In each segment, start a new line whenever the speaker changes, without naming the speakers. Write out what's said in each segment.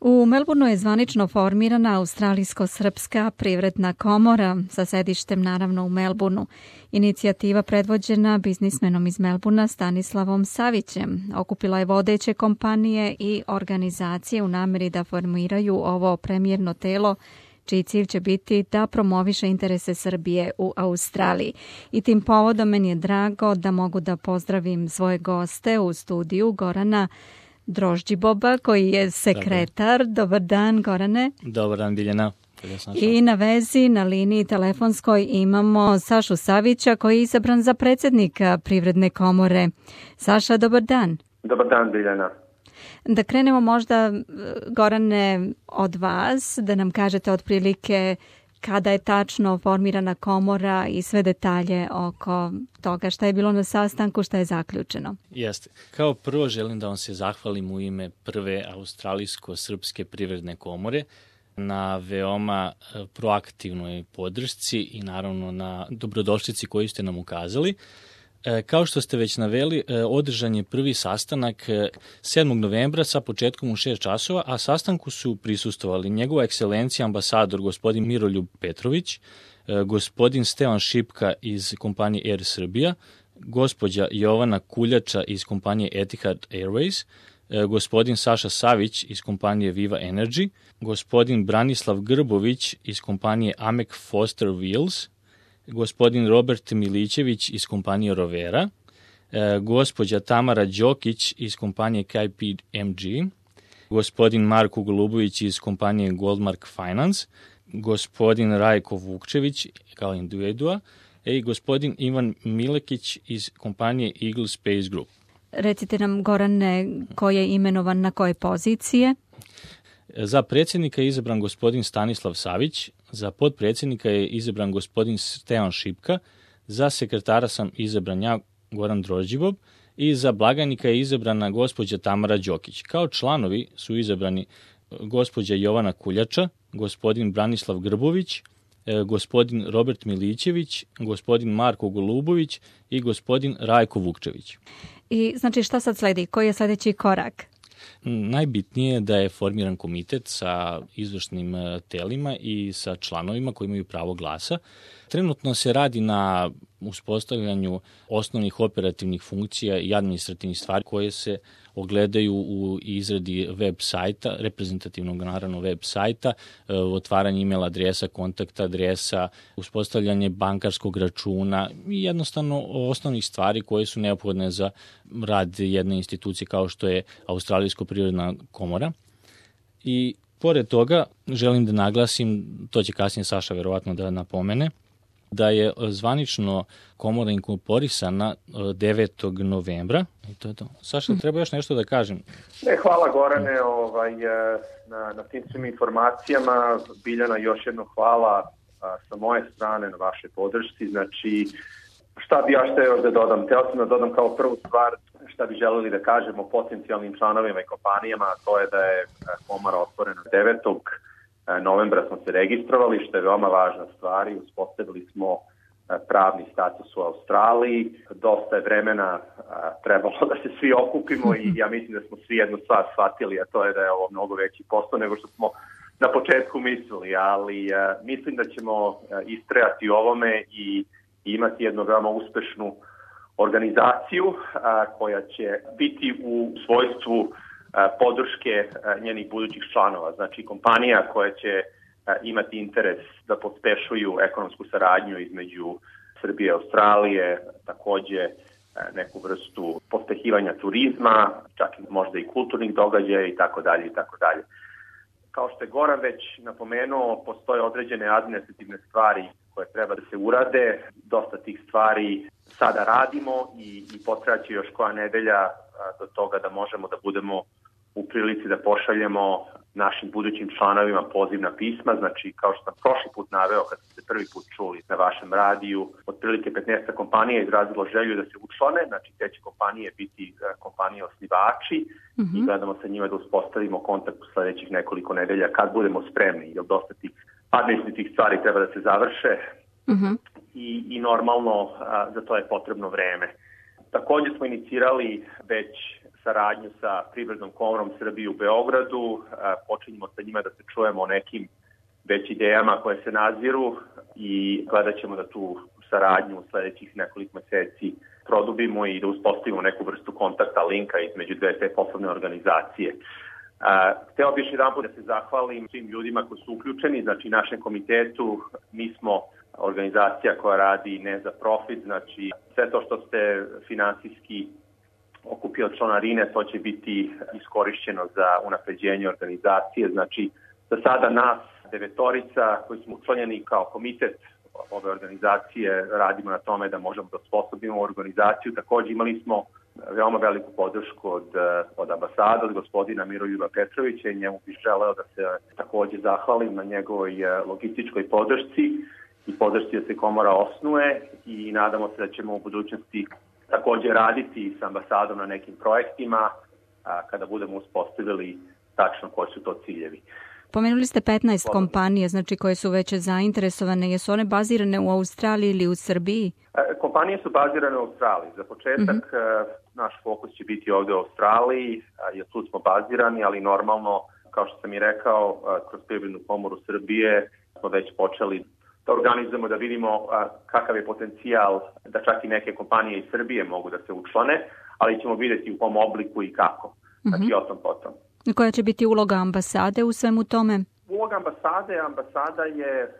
U Melbourneu je zvanično formirana Australijsko-srpska privredna komora sa sedištem naravno u Melbourneu. Inicijativa predvođena biznismenom iz Melbournea Stanislavom Savićem okupila je vodeće kompanije i organizacije u nameri da formiraju ovo premijerno telo čiji cilj će biti da promoviše interese Srbije u Australiji. I tim povodom meni je drago da mogu da pozdravim svoje goste u studiju, Gorana Drožđiboba, koji je sekretar. Dobar dan, Gorane.
Dobar dan, Biljana.
I na vezi, na liniji telefonskoj imamo Sašu Savića, koji je izabran za predsjednika Privredne komore. Saša, dobar dan.
Dobar dan, Biljana.
Da krenemo možda, Gorane, od vas, da nam kažete otprilike kada je tačno formirana komora i sve detalje oko toga šta je bilo na sastanku, šta je zaključeno.
Jeste. Kao prvo želim da vam se zahvalim u ime prve Australijsko-srpske privredne komore na veoma proaktivnoj podršci i naravno na dobrodošlici koju ste nam ukazali. Kao što ste već naveli, održan je prvi sastanak 7. novembra sa početkom u 6 časova, a sastanku su prisustvovali njegova ekscelencija ambasador gospodin Miroljub Petrović, gospodin Stevan Šipka iz kompanije Air Srbija, gospođa Jovana Kuljača iz kompanije Etihad Airways, gospodin Saša Savić iz kompanije Viva Energy, gospodin Branislav Grbović iz kompanije Amek Foster Wheels, gospodin Robert Milićević iz kompanije Rovera, gospođa Tamara Đokić iz kompanije KPMG, gospodin Marko Golubović iz kompanije Goldmark Finance, gospodin Rajko Vukčević kao individua i gospodin Ivan Milekić iz kompanije Eagle Space Group.
Recite nam, Gorane, ko je imenovan na koje pozicije?
Za predsjednika je izabran gospodin Stanislav Savić, za potpredsjednika je izabran gospodin Stevan Šipka, za sekretara sam izabran ja, Goran Drožđibob, i za blagajnika je izabrana gospođa Tamara Đokić. Kao članovi su izabrani gospođa Jovana Kuljača, gospodin Branislav Grbović, gospodin Robert Milićević, gospodin Marko Golubović i gospodin Rajko Vukčević.
I znači šta sad sledi? Koji je sljedeći korak?
Najbitnije je da je formiran komitet sa izvršnim telima i sa članovima koji imaju pravo glasa. Trenutno se radi na uspostavljanju osnovnih operativnih funkcija i administrativnih stvari koje se ogledaju u izradi web sajta, reprezentativnog naravno web sajta, otvaranje email adresa, kontakt adresa, uspostavljanje bankarskog računa i jednostavno osnovnih stvari koje su neophodne za rad jedne institucije kao što je Australijsko privredna komora. I pored toga želim da naglasim, to će kasnije Saša verovatno da napomene, da je zvanično komora inkorporisana 9. novembra. I to je to. Saša, treba još nešto da kažem?
Hvala Gorane na tim svim informacijama. Biljana, još jedno hvala sa moje strane na vašoj podršci. Znači, šta bi ja hteo još da dodam? Hteo sam da dodam kao prvu stvar šta bi želeli da kažemo potencijalnim članovima i kompanijama, a to je da je komora otvorena 9. novembra smo se registrovali, što je veoma važna stvar i uspostavili smo pravni status u Australiji. Dosta je vremena trebalo da se svi okupimo i ja mislim da smo svi jednu stvar shvatili, a to je da je ovo mnogo veći posao nego što smo na početku mislili, ali mislim da ćemo istrajati ovome i imati jednu veoma uspešnu organizaciju koja će biti u svojstvu podrške njenih budućih članova. Znači kompanija koja će imati interes da pospešuju ekonomsku saradnju između Srbije i Australije, takođe neku vrstu pospehivanja turizma, čak i možda i kulturnih događaja i tako dalje i tako dalje. Kao što je Goran već napomenuo, postoje određene administrativne stvari koje treba da se urade. Dosta tih stvari sada radimo i potrebaće još koja nedelja do toga da možemo da budemo u prilici da pošaljemo našim budućim članovima pozivna pisma. Znači, kao što sam prošli put naveo kad ste prvi put čuli na vašem radiju, otprilike 15 kompanija izrazilo želju da se učlane, znači te će kompanije biti kompanije osnivači i gledamo sa njima da uspostavimo kontakt u sledećih nekoliko nedelja kad budemo spremni, jer dosta tih administrativnih stvari treba da se završe i normalno za to je potrebno vreme. Takođe smo inicirali već saradnju sa Privrednom komorom Srbije u Beogradu. Počinjemo sa njima da se čujemo o nekim već idejama koje se naziru i gledat ćemo da tu saradnju u sledećih nekoliko meseci produbimo i da uspostavimo neku vrstu kontakta, linka između dve te poslovne organizacije. Hteo bih jedan put da se zahvalim svim ljudima koji su uključeni, znači našem komitetu. Mi smo organizacija koja radi ne za profit, znači sve to što ste finansijski okupio od članarine, to će biti iskorišćeno za unapređenje organizacije. Znači, za sada nas 9 koji smo učlanjeni kao komitet ove organizacije radimo na tome da možemo da osposobimo organizaciju. Takođe imali smo veoma veliku podršku od ambasada, od gospodina Miroljuba Petrovića i njemu bih želeo da se takođe zahvalim na njegovoj logističkoj podršci i podršci da se komora osnuje i nadamo se da ćemo u budućnosti takođe raditi sa ambasadom na nekim projektima kada budemo uspostavili tačno koji su to ciljevi.
Pomenuli ste 15 kompanije, znači koje su već zainteresovane. Jesu one bazirane u Australiji ili u Srbiji?
Kompanije su bazirane u Australiji. Za početak naš fokus će biti ovde u Australiji, jer tu smo bazirani, ali normalno, kao što sam i rekao, kroz Privrednu komoru Srbije smo već počeli da organizujemo, da vidimo kakav je potencijal da čak i neke kompanije iz Srbije mogu da se učlane, ali ćemo vidjeti u kom obliku i kako. Znači, o tom potom.
Koja će biti uloga ambasade u svemu tome?
Uloga ambasada je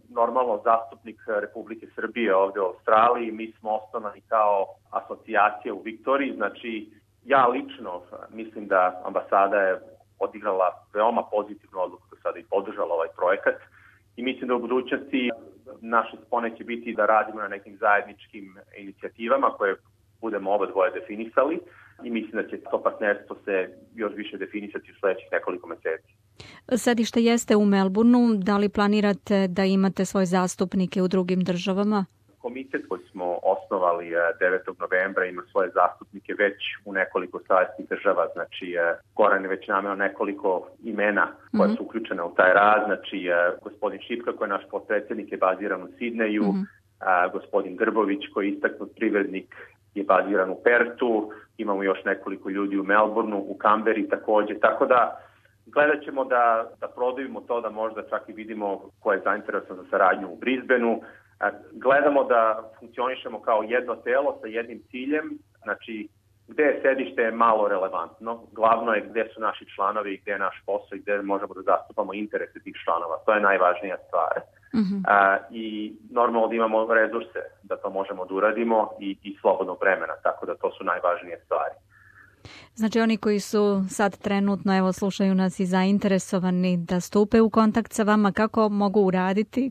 normalno zastupnik Republike Srbije ovde u Australiji. Mi smo osnovani kao asocijacija u Viktoriji, znači ja lično mislim da ambasada je odigrala veoma pozitivnu odluku do sada i podržala ovaj projekat i mislim da u budućnosti naše spone će biti da radimo na nekim zajedničkim inicijativama koje budemo oba dvoje definisali i mislim da će to partnerstvo se još više definisati u sledećih nekoliko meseci.
Sedište jeste u Melbourneu. Da li planirate da imate svoje zastupnike u drugim državama?
Komitet koji smo osnovali 9. novembra ima svoje zastupnike već u nekoliko saveznih država. Znači, Goran je već nameo nekoliko imena koja su uključena u taj rad. Znači, gospodin Šipka koji je naš potpredsjednik je baziran u Sidneju, gospodin Grbović koji je istaknut privrednik je baziran u Pertu, imamo još nekoliko ljudi u Melbourneu, u Kamberi takođe, tako da gledat ćemo da produbimo to, da možda čak i vidimo ko je zainteresovan za saradnju u Brisbaneu. Gledamo da funkcionišemo kao jedno telo sa jednim ciljem, znači gde je sedište je malo relevantno, glavno je gde su naši članovi, gde je naš posao i gde možemo da zastupamo interese tih članova, to je najvažnija stvar. I normalno da imamo resurse da to možemo da uradimo i slobodnog vremena, tako da to su najvažnije stvari.
Znači oni koji su sad trenutno, evo slušaju nas i zainteresovani da stupe u kontakt sa vama, kako mogu uraditi?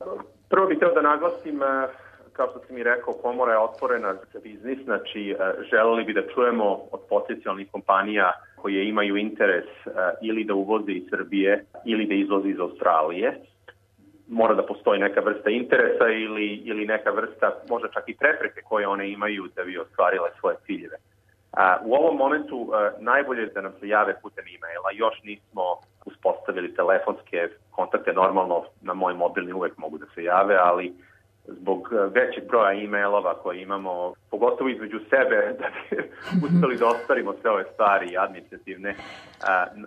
Prvo bih hteo da naglasim, kao što sam i rekao, komora je otvorena za biznis, znači želeli bi da čujemo od potencijalnih kompanija koje imaju interes ili da uvoze iz Srbije ili da izvoze iz Australije. Mora da postoji neka vrsta interesa ili neka vrsta, možda čak i prepreke koje one imaju da bi ostvarile svoje ciljeve. U ovom momentu najbolje je da nam se jave putem e-maila. Još nismo uspostavili telefonske kontakte, normalno na moj mobilni uvek mogu da se jave, ali zbog većeg broja e-mailova koje imamo, pogotovo između sebe, da bi uspeli da ostvarimo sve ove stvari administrativne,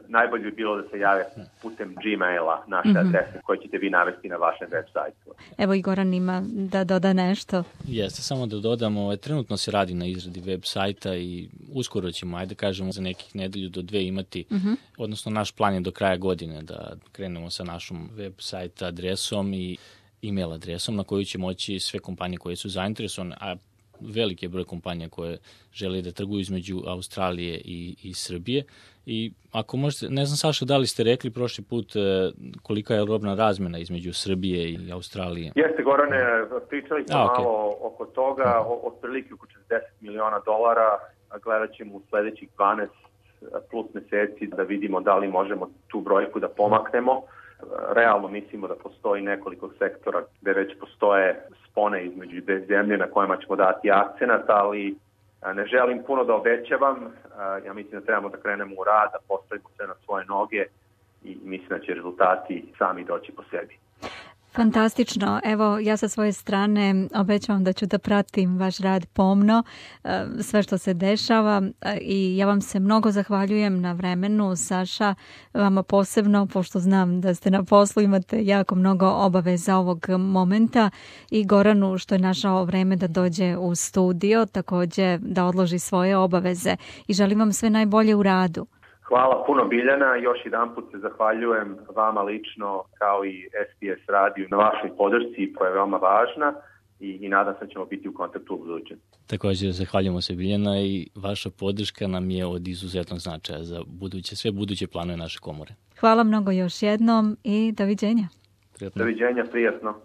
najbolje bi bilo da se jave putem Gmaila, naše adrese koje ćete vi navesti na vašem web sajtu.
Evo i Goran ima da doda nešto.
Jeste, samo da dodamo, trenutno se radi na izradi web sajta i uskoro ćemo, ajde kažemo, za nekih nedelju do 2 imati, odnosno naš plan je do kraja godine da krenemo sa našom web sajta adresom i e-mail adresom na koju će moći sve kompanije koje su zainteresovane, a veliki je broj kompanija koje žele da trguju između Australije i Srbije. I ako možete, ne znam Saša, da li ste rekli prošli put kolika je robna razmena između Srbije i Australije?
Jeste, Gorane, pričali smo malo oko toga, otprilike oko $40 miliona, gledat ćemo u sledećih 12 plus meseci da vidimo da li možemo tu brojku da pomaknemo. Realno mislimo da postoji nekoliko sektora gde već postoje spone između dve zemlje na kojima ćemo dati akcenat, ali ne želim puno da obećavam. Ja mislim da trebamo da krenemo u rad, da postavimo sve na svoje noge i mislim da će rezultati sami doći po sebi.
Fantastično. Evo, ja sa svoje strane obećavam da ću da pratim vaš rad pomno, sve što se dešava i ja vam se mnogo zahvaljujem na vremenu, Saša, vama posebno, pošto znam da ste na poslu, imate jako mnogo obaveza ovog momenta i Goranu što je našao vreme da dođe u studio, također da odloži svoje obaveze i želim vam sve najbolje u radu.
Hvala puno Biljana, još jedan put se zahvaljujem vama lično kao i SBS radiju na vašoj podršci koja je veoma važna i nadam se da ćemo biti u kontaktu u budućnosti.
Također zahvaljujemo se Biljana i vaša podrška nam je od izuzetnog značaja za sve buduće planove naše komore.
Hvala mnogo još jednom i doviđenja.
Prijatno.
Doviđenja, prijatno.